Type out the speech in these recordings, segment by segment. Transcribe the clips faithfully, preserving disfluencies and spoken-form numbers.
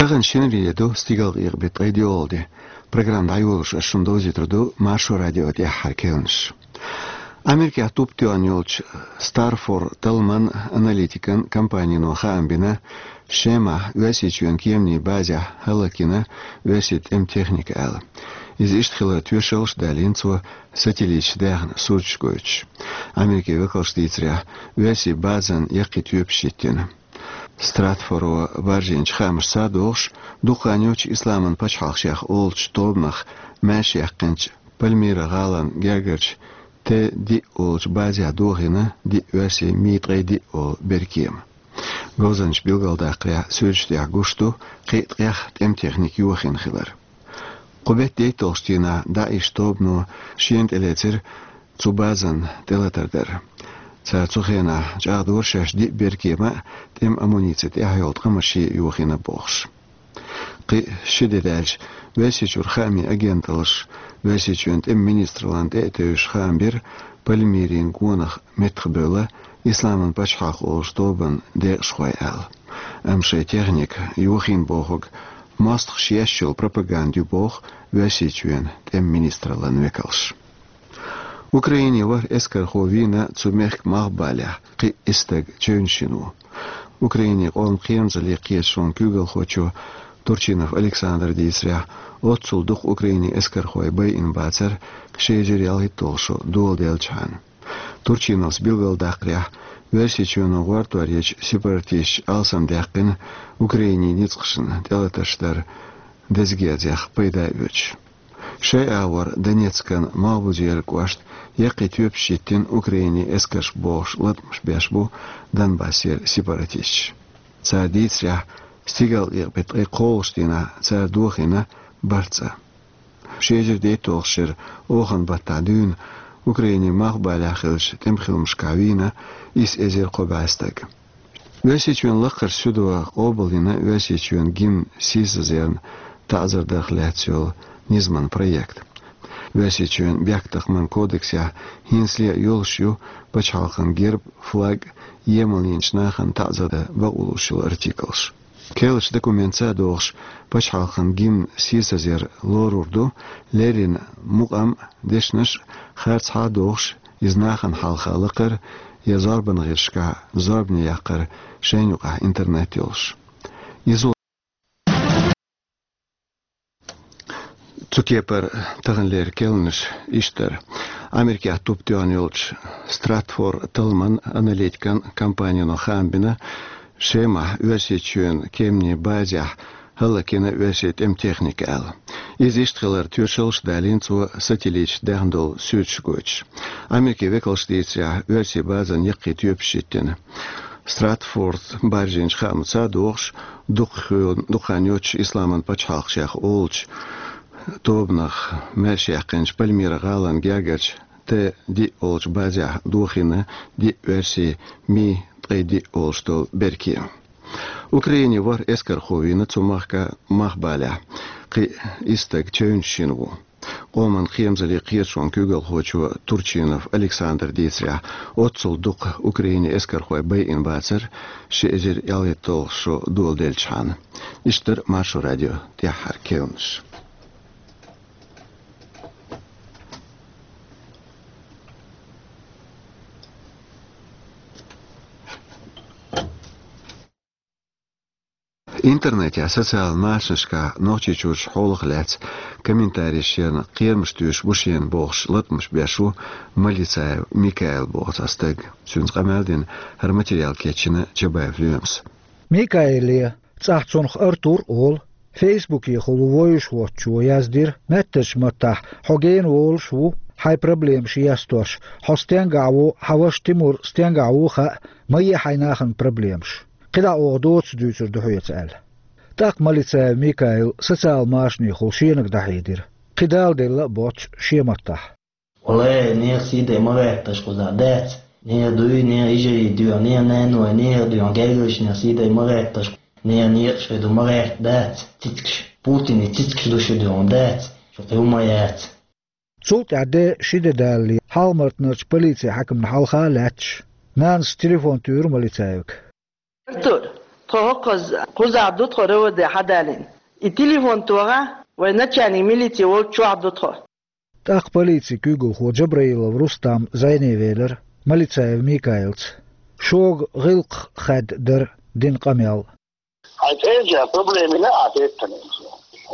Тахана шинарин де ду, стигалкъекъа беттан ткъе диъолгӀа де. Программа дӀайолош ас шуна довзуьйтур ду Маршо радион тӀаьххьара кхаьънаш. Америкехь туп тоьхна йолчу Старфор Талман аналитикан компанино хаам бина, Шемахь Оьрсийчоьнан кеманийн базехь хӀаллакйина оьрсийн тӀеман техника аьлла. Иза иштта хиларан тоьшаллаш а далийна цо, сателлиташца даьхна сурташ гойтуш. Америкин векалша дийцарехь, оьрсийн базан яккхий тоьпаш йиттина. Стратфоро баржийначу хаамашца а догӀуш, дукха хан йоццуш Исламан пачхьалкх шех олучу тобанах маьрша яьккхинчу Пальмира гӀалин гергарчу Т диъ олучу базехь дохийна диъ оьрсийн Ми ткъе диъ олу беркема. Говзанчаша билгалдаккхарехь, суьрташ тӀехь гуш ду кхин а ткъех тӀеман техника йохийна хилар. Кху беттан дейтталгӀачу дийнахь ДАИШ тобано шена тӀелецира цу базан тӀелатар дар. Цара цу хенахь чӀагӀдора шаьш диъ беркема а, тӀеман амуници тӀехь йолу ткъамаш а йохийна бохуш. Кхин а ши де даьлча, Оьрсийчуьра хаамийн агенталлаша Оьрсийчоьнан тӀеман министраллина тӀе а тевжаш хаам бира, Пальмирин гонах меттахбевлла Исламан пачхьалкх олучу тобанан декъашхой аьлла. Амма шайн техника йохийна бохург мостагӀаша еш йолу пропаганда ю боху Оьрсийчоьнан тӀеман министраллин векалша. Украинин ворхӀ эскархо вийна цу мехкан малхбалехь, кхин а исс стаг чевнаш йина ву. Украинин къоман кхерамзаллин кхеташонан куьйгалхочо Турчинов Александра дийцарехь, оццул дукха Украинин эскархой байина бацара ши эзар ялхитталгӀа шо доладелчахьана. Турчиновс билгалдаккхарехь, Оьрсийчоьно гӀортор ечу сепаратисташа алсамдаьккхина Украинин ницкъашна тӀелатарш дар деза герзех пайда оьцуш. Шайн агӀор Донецкан Малхбузера кӀошта яккхий тоьпаш йиттина Украинин эскарша бохуш латкъамаш беш бу Донбассера сепаратисташ. Цара дийцарехь, стигалкъекъа беттан ткъе кхоалгӀачу дийнахь цара дохийна бархӀ цӀа. Ши эзар дейтталгӀачу шеран оханан баттахь дуьйна Украинин малхбалехь хиллачу тӀеман хиламашкахь вийна исс эзар кхо бӀе стаг. Оьрсийчоьнан Лакхарчу суьдо къобалйина Оьрсийчоьнан гимн сийсазъярна таӀзар дарх лаьцна йолу низаман проект. Оьрсийчоьнан бехктакхаман кодексехь хӀинцале а йолуш ю пачхьалкхан герб, флаг, емалйинчу нахана таӀзар дан бакъо луш йолу артиклаш. Керлачу документаца а догӀуш, пачхьалкхан гимн сийсазъяр лорур ду, леррина мукъам а, дешнаш а харцахьа а дохуш, иза нахана хьалха лакхара я зорбанан гӀирсашкахь зорбане яккхар шайна юкъахь интернет йолуш. Иза цу кепара таханлера кхаьънаш иштта дара. Америкехь туп тоьхна йолчу Стратфор Талман аналитикан компанино хаам бина, Шемахь Оьрсийчоьнан кеманийн базехь хӀаллакйина оьрсийн тӀеман техника аьлла. Иза иштта хиларан тоьшаллаш а далийна цо, сателлиташца даьхна долу суьрташ гойтуш. Америкин векалша дийцарехь, оьрсийн базан яккхий тоьпаш йиттина. Стратфорд баржийначу хаамашца а догӀуш, дукха хи-, дукха хан йоццуш Исламан пачхьалкх шех олучу тобанах маьрша яьккхинчу Пальмира гӀалин гергарчу Т диъ олучу базехь дохийна диъ оьрсийн Ми ткъе диъ олуш долу беркема. Украинин ворхӀ эскархо вийна цу махка малхбалехь, кхин а исс стаг чевнаш йина ву. Къоман кхерамзаллин кхеташонан куьйгалхочо Турчинов Александра дийцарехь, оццул дукха Украинин эскархой байина бацара ши эзар ялхитталгӀа шо доладелчахьана. Иштта дара Маршо радион тӀаьххьара кхаьънаш. Интернетехь, социалан машанашкахь Нохчийчуьрчу хьолах лаьцна комментареш ярна, кхерамаш туьйсуш бу шена бохуш латкъамаш беш ву Малицаев Микаил боху цхьа стаг. Цуьнца къамел дина, хӀара материал кечйина Чабаев Лоьмас. Микаиле, цӀахь цунах Артур а олу, Фейсбукехула вовзаш воцучо яздира, маьттарчу маттахь хьо гена волуш ву, хьайн проблемаш естош, хьо стенгахь ву, хьан ваша Тимур стенгахь ву хаьа, ма е хьайн нахана проблемаш. КхидӀа оха доцу дуьйцур ду хьоьца аьлла. ТӀаккха Малицаев Микаил социал машанехула шенага дӀахьедира. Кхин дала делла а боццуш шен маттахь. Валлай, нехан сий дай ма гӀетташ кхузахь, дац. Нехан дуй, нехан йижарий дуьйхьа, нехан наной, нехан дуьйхьа гергарлучу нехан сий дай ма гӀетташ. Нехан некъаш хир ду ма гӀерта, дац. Цицкаш, Путине цицкаш ду шу дуьйхьа, дац. Шу кхин хӀума яц. Цул тӀаьхьа де ши де далале, Хьалха-Мартанарчу полицин хьаькамна хьалха а лаьтташ, нанас телефон туьйхира Малицаевга. Артур, Тхо хӀокхуза кхузахь ду тхо РОВД хьадалийна. И телефон тоха вай начальник милиции волчохь ду тхо. ТӀаккха полицин куьйгалхо Джабраилов Рустам зӀене велира Малицаев Микаилца. Шога гӀиллакх хаьдда дара дина къамел. Хьайн цӀерча проблема йина а теттана.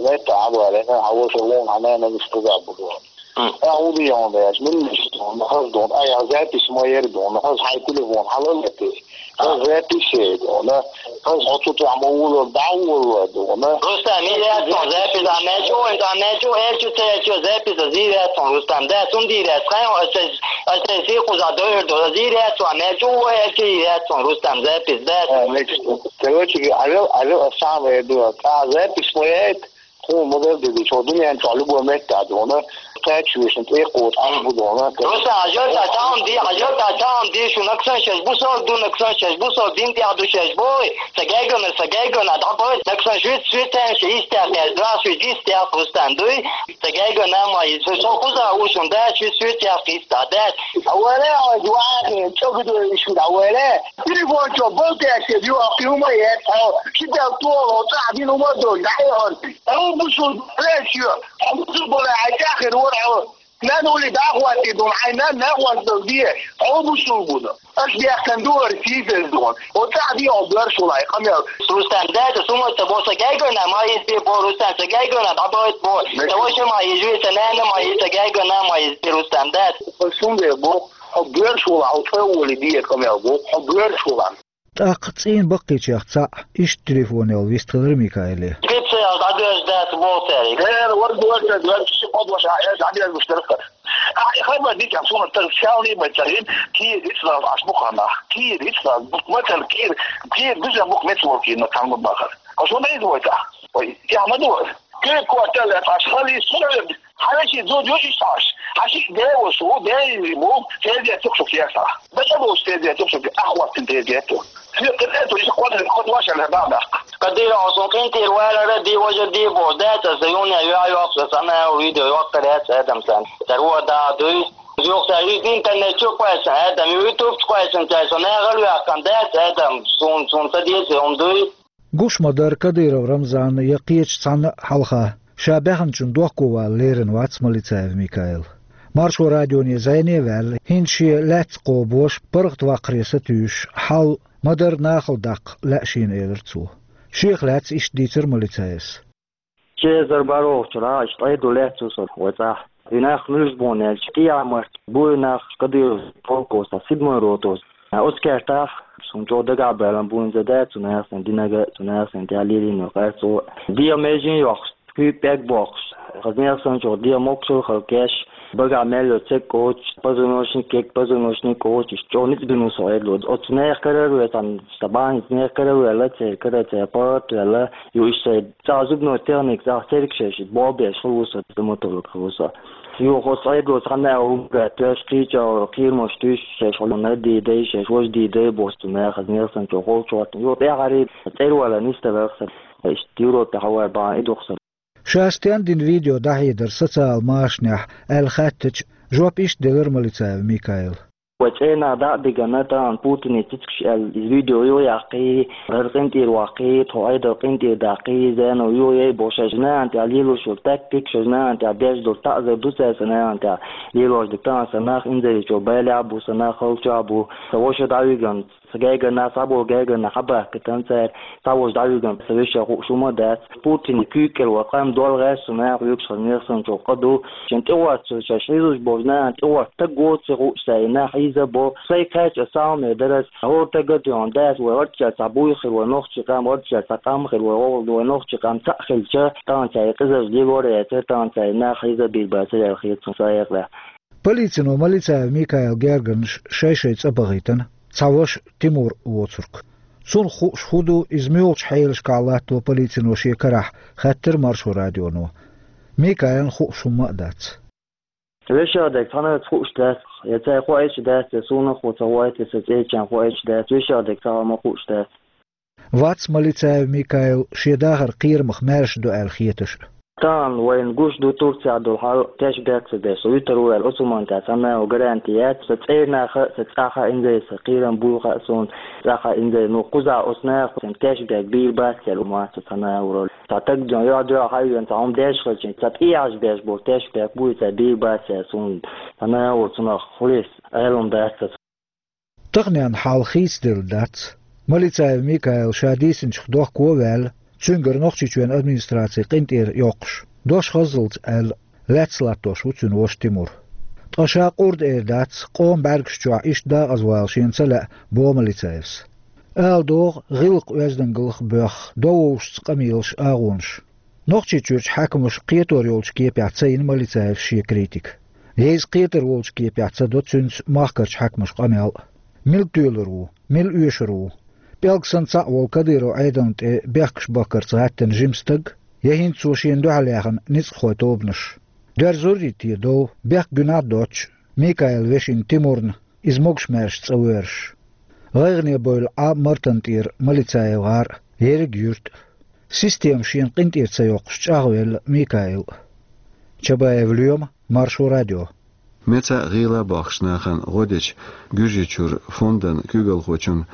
Метта хьабале, хьан ваша вон, хьан нана нисбуза буду. М. А уди йон деш, мин ниш дон, хаз дон, а я запись моя дон, хаз хьайн телефон хьалалати. Хаз запись дон, хаз хьо цу тӀехь ма вулал, дӀа вулал дон. Рустам, ира яц хьуна запись, а мечу, а мечу, элчу, цечу, запись, а зира яц хьуна, Рустам, да, сум дийр яц, хьайн, а, а, а, сий кхуза дойр до, а зира яц хьуна, мечу, элчу, ира яц хьуна, Рустам, запись, да. А, мечу. Короче, алё, алё, а сам я ду, а запись моя, хьуна ма-дарра деза, чо дуьнен чохь любой метта а дуна, кхача вешан тӀе кхочу Ӏаш бу дуна. Рустам, хьажал та таун ди, хьажал та таун ди, шу наксан шеш бусал ду, наксан шеш бусал дин тӀехь ду шеш бой, ца гайгана, ца гайгана, дӀабой, наксан шуьц, шуьц тен ши истях, я здравствуй, дистях, Рустам, дуй, ца гайгана ма, и со, со кхуза ушун да, шуьц, шуьц тях, иста, да. Аваре, а, дуахи, чо гудо ишу, аваре. Телефон чо, болтяшка, ю, а, хьума, я, а, ши дал туо, цӀа дин ума дон, да, я, а. Хьо бусул леш ю, хьо бусул бола, ай тахир вор, хьо. Нан ули дахвати дун, ай нан нахвас дал дие, хьо бусул буна. Аш бяхтан дуар сизел дун. О цади о дуаршулай, къамел. Рустам, да, да, сума, та боса гайгана, ма из бе бо, Рустам, та гайгана, бабоет бо. Та воша ма из, та нана ма из, та гайгана ма из бе, Рустам, да. Сунде бо, хьо дуаршула, хьо тхе ули дие, къамел бо, хьо дуаршула. ТӀаккха цӀийнан баккхийчех цхьаъ иштта телефонел вистхилира Микаиле. Специал дӀадоьжна дац боху цаьрга. Э, вар, вар, вар, вар, ши кхо дош а, э, дӀадоьжна гуш дара хӀара. А, и хабар дика, суна тар шални бай царин, кийр ицлал аш бу хана. Кийр ицлал, бу, мацал кийр, кийр биза бу мецвол кийр на кан бахар. А шо дай звойта. Ой, я ма ду. Кийр квартал аш хали суна. Хьан ши зуд ю иш аш. Хьан ши де во шу, де и бу, се де цух шу кеса. Бата бу се де цух шу, ахватин де де ту. Фир кеде ту, иш квадрат кот ваша на да да. Кадира осон кин тир вала ра ди вожа ди бо, да та заюн я я ю охса сана видео ю охса ряц адам сан. Тару да дуй. Ю охса интернет чу квайсан, адам YouTube чу квайсан, та сона гал ю ахкан да адам сун, сун та ди сун дуй. Гуш ма-дарра Кадыров Рамзанна я кхечу цхьанна а хьалха, ша баьхначун дохковала лерина вац Малицаев Микаил. Маршо радионе зӀене а ваьлла, хӀинца шен лаьцна кхобош, паргӀатваккхаре сатуьйсуш, хьал ма-дарра нахала даккха лаьа шена, элира цо. Шех лаьцна иштта дийцира Малицаевс. Ши эзар бархӀалгӀачу хенахь, иштта Ӏедал лаьцна со вай цӀахь. И нах муьлш бу аьлча, КӀиямарт бу и нах Кадыровс полкоса, седьмой ротоса. Оцу кертахь суна чӀогӀа дагахь баьлла бу хӀинца да, цу нехан динага, цу нехан тӀехь лелийна йолу къаьрцо. ДегӀан меже йоккхуш, куьйга пӀелг боккхуш. Хаза нехан санна чӀогӀа дегӀан могушалла хала кеш, багахь мел йолу церг кочуш, позвоночник кек, позвоночник кочуш, чӀогӀа ницкъ бина ву со Ӏедало. Оцу нехан карара ве сан, сан бахьана нехан карара ваьлла, церан кара, церан паргӀат ваьлла, ю иштта шайн цхьа зубной техника, цхьа церг шаьш, болбеш хилла ву со, стоматолог хилла ву со. Юха оцу Ӏедало цхьанна а хӀума гатош, кхечу кхерамаш туьйсуш, шаьш хьуна дийдай, шаьш важа дийдай бохуш, цу нехан, хаза нехан санна чӀогӀа гӀовгӀа чохь. Юха тӀаьхьарий цӀервала нисдаларх сан, иштта Европе хьавар бахьана и дукха сан. Ша стен дина видео дӀахьедар социал машанехь аьлла хаьттича, жоп иштта делира Малицаев Микаила. Вай цӀенах дӀа а дигана, тахана Путине цицигаш аьлла, иза видео юха яккхий, гӀара къинтӀера ваккхий, тхо Ӏедал къинтӀера даккхий, зено юха яй бохуш, шаьш нахана тӀехь лелош йолу тактика, шаьш нахана тӀехь деш долу таӀзар ду цаьрца нахана тӀехь лелош дерг. Тахана сан нах инзаре чӀогӀа балехь а бу, сан нах халчохь а бу, сан ваша дӀавигана, сан гайгана, схьаболу гайгана хьабахкийтина цара, сан ваша дӀавигана, сан вешан хууш хӀума а дац. Путине куьйга кӀел ван къам дол гӀерташ цу наха вуьгуш, хаза нехан санна чӀогӀа къа ду. Шен тӀехӀотта шу шаьш хьийзош болчу нахана тӀехӀотта стаг воций хууш цара и нах хьийзабо. Сайн кхаьчча а саламе дара ас, хӀора стага а тоьхна дац, вай гӀордчара цхьа буй хир, вай нохчий къам, гӀордчара цхьа къам хир, вай гӀо-, вай нохчий къам цхьаъ хилча, тахана цара и къизарш лелор а яцара, тахана цара и нах хьийзабийр бацара аьлла хета суна сайн хьекъалехь. Полицино Малицаев Микаил гергарнаш шай-шай цӀа бахийтина, цхьа ваша Тимур воцург. Цунах хууш хӀун ду, иза муьлхачу хьелашкахь латто полицино шен карахь, хаьттира Маршо радионо. Микаилна хууш хӀумма а дац. Вешан дерг цхьаннахьа хууш дац, я цара хоуьйтуш дац, я суна а ца хоуьйту, я сан цӀерачарна хоуьйтуш дац, вешан дерг цхьа а ма хууш дац. Вац Малицаев Микаил шен дахаран кхерамах маьрша ду аьлла хеташ а. Тахана вайна гуш ду Турцехь долу хьал, кешбек ца деш, со вуьтур ву аьлла, Ӏусман тӀехь цхьа наха гаранти яц, сан цӀернаха а, сан цӀахь а инзаре, сан кхерам буйха а суна, цӀахь а инзаре, ну, кхузахь оцу наха сан кешбек бийр бац аьлла, ма ца цхьа наха вуьралла. Цхьа таг ден йоьхь-доьхь хьайвен, цхьа хӀума деш хилча, цхьа тӀехьаш беш болу кешбек буй, цхьа бийр бац аьлла суна, цхьа наха вуьралла, цунах хьулис Ӏелам дац аса. Таханен хьал хийцаделла дац. Малицаев Микаил ша дийцинчух дохко а ваьлла, цуьнгара Нохчийчоьнан администрацин къинтӀера йоккхуш, дош хаззалц аьлла, лаьцна латтош ву цуьнан ваша Тимур. Ткъа ша къурда эр дац, къоман бӀаьргаш чохь иштта дакъаза вала шена ца лаьа, боху Малицаевс. Ала догӀу, гӀиллакх-оьздангаллах боьхна, довзуьйтуш къамелаш, агӀонаш. Нохчийчуьрчу хьаькамаша кхетор йолчу кепехь ца йина Малицаевс шен критика. Я иза кхетар волчу кепехь ца до цуьнца махкарчу хьаькамаша къамел а. Мила тоьлур ву, мила оьшур ву? ПӀелг санна цхьаъ волу Кадыров Ӏедална тӀе бехкаш бахкарца гӀаьттина жима стаг, я хӀинца цо шена дуьхьал яьхна ницкъахойн тобанаш? Доьрзур ю те дов, бехк гуьнахь а доцуш, Микаилан вешина Тимурна, иза могуш-маьрша цӀа воьрзуш? ГӀайгӀане бевлла Ӏа Мартан тӀера Малицаев гӀар а, ерриг юьрт а. Система шена къинтӀера ца йоккхуш чӀагӀвелла Микаил а. Чабаев Лоьма, Маршо радио. Меца а гӀийла а бохкучу нахана гӀо дечу Гуьржийчуьра фондан куьйгалхочунна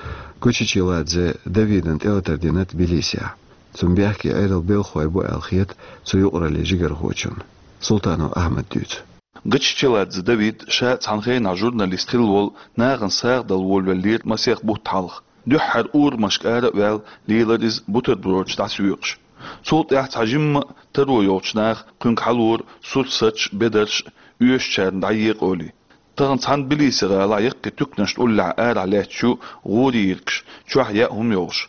Гучичеладзе Давидан тӀелатар дина Тбилисехь. Цунна бехке Ӏедалан белхалой бу аьлла хета цу юкъараллин жигархочунна. Султанов Ахьмада дуьйцу. Гучичеладзе Давид ша цхьана хенахь журналист хилла волу нахана сагӀа дала волавеллера масех бутт хьалха. Дуьххьара урамашка ара а ваьлла, лелара иза бутербродаш дӀасоькъуш. Цул тӀаьхьа цхьа жимма а таро йолчу наха кхуьнга хьалора сурсаташ а, бедарш а, оьшучарна дӀаекъа олий. Тахана цхьана Тбилиси гӀалахь яккхий туьканаш тӀуллехь арахь лаьтташ ю гӀуран йиркаш, чохь яа хӀума йолуш.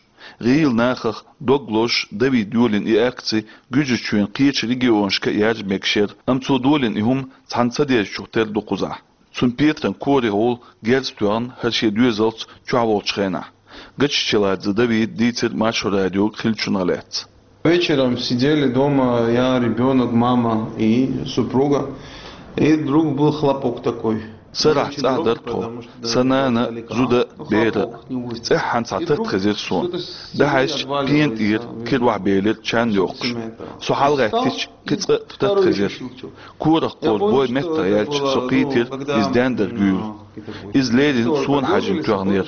ГӀийла нахах дог лозуш Давида йолийна и акци Гуьржийчоьнан кхечу регионашка а яржа мегаш яра, амма цо долийна и хӀума цхьана ца дезачух тера ду кхузахь. Цунна Петран корехула герз тоьхна хӀара шен доьзалца чохь волчу хенахь. Гучичеладзе Давида дийцира Маршо радиога хиллачунах лаьцна. Вечером сидели дома я, ребёнок, мама и супруга. И вдруг был хлопок такой. Сарахь цӀахь дара тхо. Сан нана, зуда, бер а. ЦӀеххьана цхьа тата хезира суна. ДӀахьаьжча, пена тӀера кира охьабелира чан йоккхуш. Со хьалагӀаьттича, кхин цкъа а тата хезира. Корах кхозу бой меттах яьлча, со кхийтира иза дендар гуьйла. Иза леррина суна хьаьжжина тоьхнера.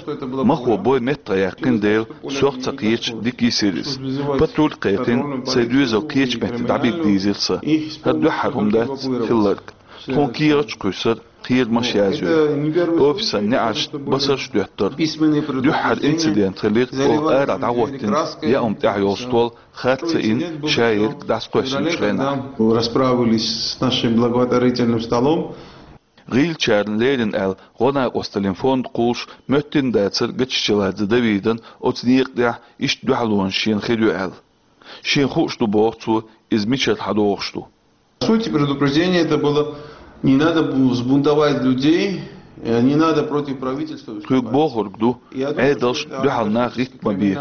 Махо бой меттах яьккхина дела, сох ца кхеташ дика йисира иза. Патруль кхайкхина, сайн доьзал кхечу метте дӀабига дийзира сан. ХӀара дуьххьара хӀума дац хилларг. Тхуна кехаташ кхуьссура, кхерамаш язйора. Офисан неӀаршна басарш доьттура. Дуьххьара инцидент хилира оха арахь дӀахӀоттийна яа хӀума тӀехь йолу стол харц ца йина, шаерг дӀасакхоьссинчу хенахь. Расправились с нашим благотворительным столом. ГӀийлачарна леррина аьлла, гӀо-накъосталлин фонд кхуллуш моьттина дацара Гучичеладзе Давидан оцу некъа тӀехь иштта дуьхьалонаш шена хир ю аьлла. Шена хууш ду, боху цо, иза мичара хьадогӀуш ду. Суть предупреждения это было: не надо бу-, сбунтовать людей, э, не надо против правительства выступать. Кхуьга бохург ду, Ӏедалшна дуьхьал нах гӀитта ма бе,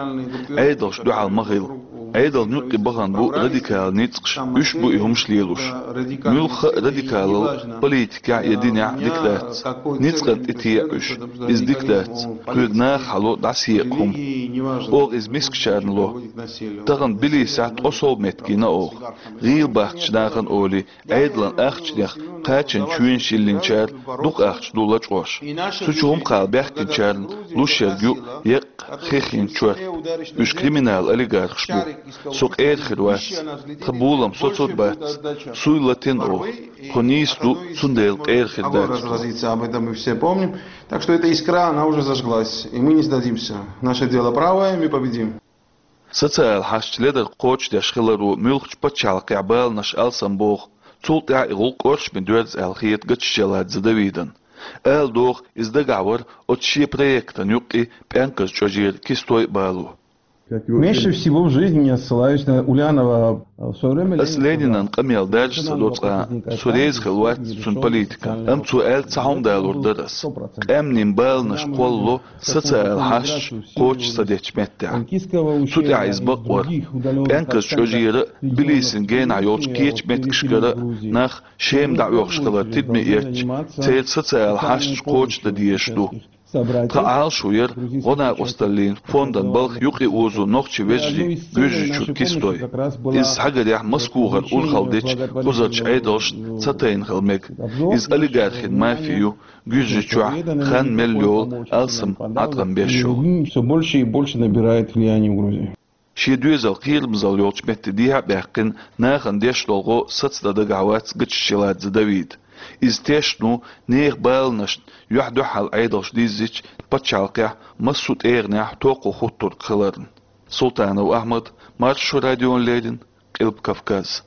Ӏедалшна дуьхьал ма хила. Ӏедална юккъе бахана бу радикал ницкъаш, уьш бу и хӀумаш лелош. Муьлхха а радикалалла политикехь я динехь дика дац. Ницкъана тӀетеӀа уьш, иза дика дац. Кхуьга наха хьало дӀасаекъа хӀума. Оха иза мискачарна ло. Тахана Тбилисехь ткъа сов меттиг йина оха. ГӀийла бахкачу нахана олий, Ӏедалан ахчанех кхачанчу чоьнаш йиллинчара дукха ахча ду лачкъош. Цу чу хӀума кхаба баьхкинчарна луш ерг ю еккъа хих йина чор. Уьш криминал олигархаш бу. Со къера хир вац. Тхан болам соцур бац. Суй латийна оха. Тхо нийса ду, цундела къера хир дац тхо. Разразится, об этом мы все помним. Так что эта искра, она уже зажглась, и мы не сдадимся. Наше дело правое, мы победим. Социал хьашташ ледар кхочушдеш хиларо муьлххачу пачхьалкхехь баланаш алсам боху, цул тӀаьхьа и гӀуллакх оршаме доьрзу аьлла хета Гучичеладзе Давидан. Ала догӀу, иза дагахь вара оцу шен проектан юккъе пӀенказ чӀожера кистой а, бало. Меньше всего в жизни я ссылаюсь на Ульянова. В своё время Ас Ленинан къамел даржа ца до цкъа а, со реза хилла вац цуьнан политикана, амма цо аьлла цхьа хӀума далур дара ас. Къаьмнийн баланаш кхоллало социал хьашташ кхочуш ца дечу меттехь. Цу тӀехь иза бакъвара. ПӀенказ чӀожера а, Тбилисин генахь йолчу кхечу меттигашкара а нах Шема дӀаоьхуш хилар тидаме эцча, церан социал хьашташ кхочушдан дезаш ду. Тха Ӏалашо яр гӀо-накъосталлин фондан балха юкъе озо нохчий вежарий Гуьржийчура кистой. Иза хьагарехь Москвахара урхалла дечу кхузарчу Ӏедалшна ца тайна хила мега. Иза олигархийн мафи ю, Гуьржийчохь хан мел йолу алсам Ӏаткъам беш йолу. Все больше и больше набирает влияние в Грузии. Шен доьзал кхерамзалла йолчу метте дехьа а баьккхина, нахана деш долу гӀо сацдан дагахь вац Гатчишеладзе Давида. Иза тешна ву нехан баланашна юьхь-дуьхьал Ӏедалш диззича пачхьалкхехь массо а тӀегӀанехь токхо хӀуттург хиларна. Султанов Ахьмад, Маршо радиона леррина, Къилба Кавказ.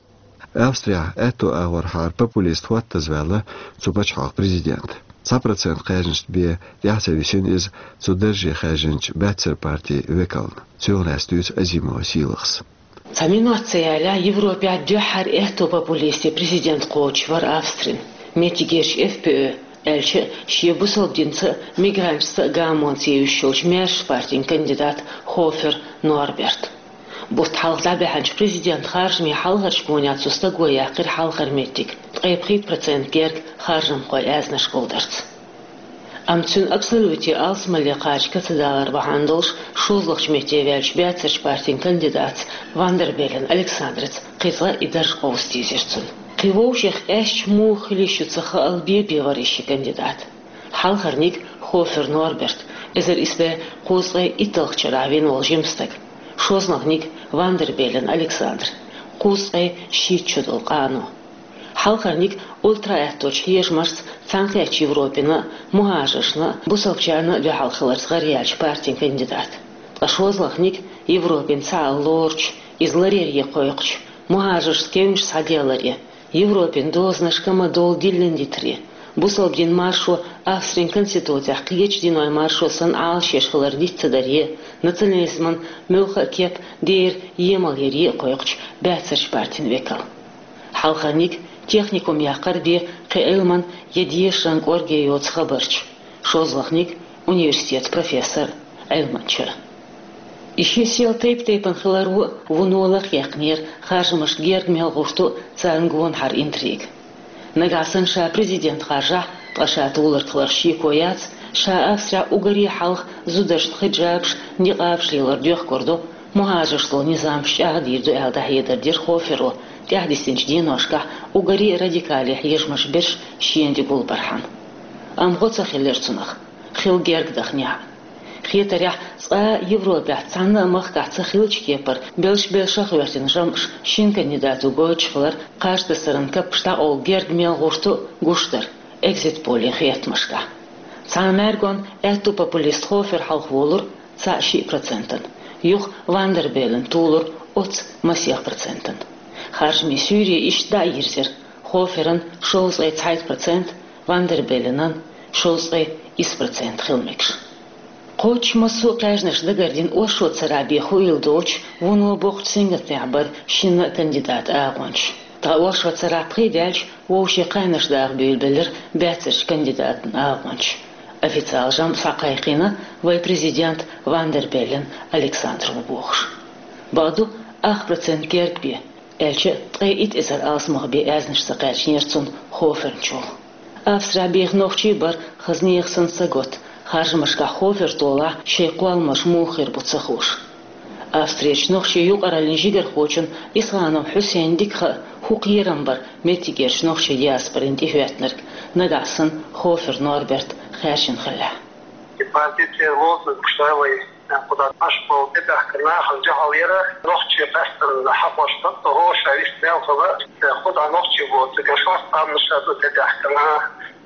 Австрехь аьтту агӀорхьара популист хӀоттаза ваьлла цу пачхьалкхан президент. Цхьа процент кхаьжнашна бен тӀаьхьа ца висина иза цу дарже хаьржинчу Баьццара партин векална. Цунах лаьцна дуьйцу Азимова Сийлахьас. Цхьа минот ца ялахь Европехь дуьххьара аьтту популистийн президент кхочуш вара Австрин. Меттигерчу F P Ö аьлча а, шен бусалба динца а, мигранташца а гамонца евзаш йолчу маьршачу партин кандидат Хофер Норберт. Бутт хьалха дӀабаьхьначу президентан харжамийн хьалхарчу гонехь цу стага яьккхира хьалхара меттиг, ткъе пхийтта процент герга харжамхойн аьзнаш гулдарца. Амма цуьнан абсолютан алсамале кхача кацдалар бахьана долуш шолгӀачу метте ваьллачу Баьццарчу партин кандидатца Ван дер Беллен Александраца кхин цкъа и дарж къовса дийзира цунна. Кхин вовшех къаьсташ муха хила йиш ю ца хаала бен-бен вара и ши кандидат. Хьалхарниг Хофер Норберт, эзар исс бӀе кхузткъе итталгӀачу шарахь вина волу жима стаг, шозлагӀниг Ван дер Беллен Александр, кхузткъе шийтта шо долу къано. Хьалхарниг ультра-аьтточу хьежамашца Цхьаьнакхеттачу Европина а, мухӀажаршна а, бусалбачарна а дуьхьал хиларца гӀараяьллачу партин кандидат. Ткъа шозлагӀниг Европина цхьаалла лоручу, иза ларъяре кхойкхучу, мухӀажаршца кевнаш схьаделларе, Европин дозанашка ма-доллу диллина дитаре, бусалба динан маршо Австрин конституцехь кхечу динойн маршо санна Ӏалашъеш хилар диц ца даре, национализман муьлхха а кеп дера емал яре а кхойкхучу Баьццарчу партин векал. Хьалхарниг техникум яккхар бен кхин Ӏилман я дешаран кӀорге йоцу хабарча, шозлагӀниг университетан профессор, Ӏилманча. И ши сел тайп-тайпана хиларо вуно лакхъяьккхинера харжамашка герга мел гӀурту царна гонахьара интрига. Нагахь санна ша президент харжахь, ткъа ша туларг хиларх шеко яц, ша Австрехь уггаре хьалха зударшна хиджабаш, никъабаш лелор доьхкур ду, мухӀажаршца долу низамаш чӀагӀдийр ду аьлла дӀахьедар дира Хоферо тӀаьхьадисинчу деношкахь уггаре а радикале хьежамаш берш шена тӀе гулбархьама. Амма гӀо ца хилира цунах, хилла герга даханехь а. Хетарехь, цкъа а Европехь цхьанна а махкахь ца хиллачу кепара белш-белшах гӀоьртина жамӀаш шина кандидато гойтуш хилар кхаж тасаран каппаш дӀакъовла герга мел гӀурту гуш дара экзит-поллин хетамашкахь. Цхьана мӀаьргонна аьтту популист Хофер хьалхаволура цхьаъ-шиъ процентана, юха Ван дер Беллен тулура оццу масех процентана. Харжамийн суьйре иштта дӀа а йирзира: Хоферан шовзткъе цхьайтта процент, Ван дер Белленан шовзткъе исс процент хила мегаш. Кхоччуш массо а кхаьжнаш дагардина оршот царахь бен хуийла доцуш, вуно боккхачу сингаттамехь бара шинна а кандидатан агӀончаш. Ткъа оршот царахь пхи даьлча, вовшийн кхаьннаш даха буьйлабелира баьццарчу кандидатан агӀончаш. Официалан жамӀ схьакхайкхийна вайн президент Ван дер Беллен Александр ву бохуш. Бакъду, ах процент герга бен, аьлча а, ткъе итт эзар алсамах бен аьзнаш ца кхаьчнера цунна Хоферна чухула. Австрехь беха нохчий бара хаза нехан санна сагатта, харжамашкахь Хофер толахь шайн кхолламаш муха хир бу ца хууш. Австрерчу нохчийн юкъараллин жигархочунна Исханов Хьусейнна дика хаьа, хӀун кхерам бара меттигерчу нохчийн диаспорина тӀехӀоьттинарг, нагахь санна Хофер Норберт хаьржина хиллехь. И партицеран лозунг ша вай, кху дӀа Ӏаш болу тӀебаьхкина нахана дуьхьал яра, нохчий къаьсттина хьахош дан, гӀо ша вист мел хала, кху дӀа нохчий боцург шорта къаьмнаш ду тӀебаьхкина.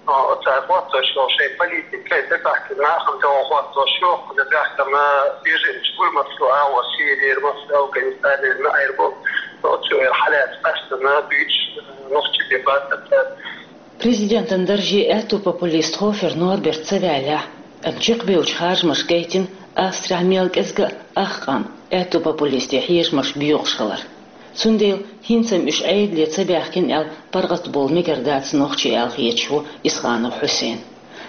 Оцара хӀоттош йолу шайн политика тӀебаьхкина нахана тӀе хӀоттош йолу, тӀебаьхкина беженцаш гур массо а агӀор, Сирера, массо а Афганистанера, Наирбо, оцу хьалаьцна къаьсттина буьйцуш нохчий бен бацара цара. Президентан дарже аьтту популист Хофер Норберт ца ваьллехь, амма чекхбевллачу харжамаша гайтина Австрехь мел кӀезга а ах къам аьтту популистийн хьежамаш боьхуш хилар. Цундела хӀинца-м уьш Ӏедале ца баьхкина аьлла паргӀатбовла мегар дац нохчий аьлла хеташ ву Исханов Хьусейн.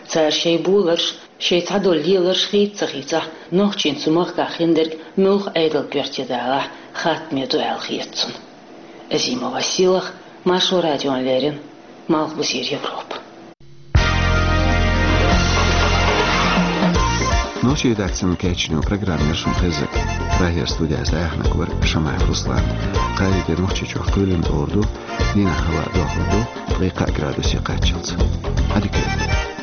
Цара шайн боларш, шайн цхьадолу леларш хийца ца хийцахь, нохчийн цу махкахь хиндерг муьлха Ӏедалан коьрте далахь хаттаме ду аьлла хета цунна. Азимова Сийлахь, Маршо радиона леррина, Малхбузера Европа. Ши дац сан кечню программер шун хезак. Прагер студияс даяхнак вар Шамаев Руслан. Кхайдер Нохчийчух кулин орду, дина хава дохлу, ткъикъа градуси качалц. Адикет.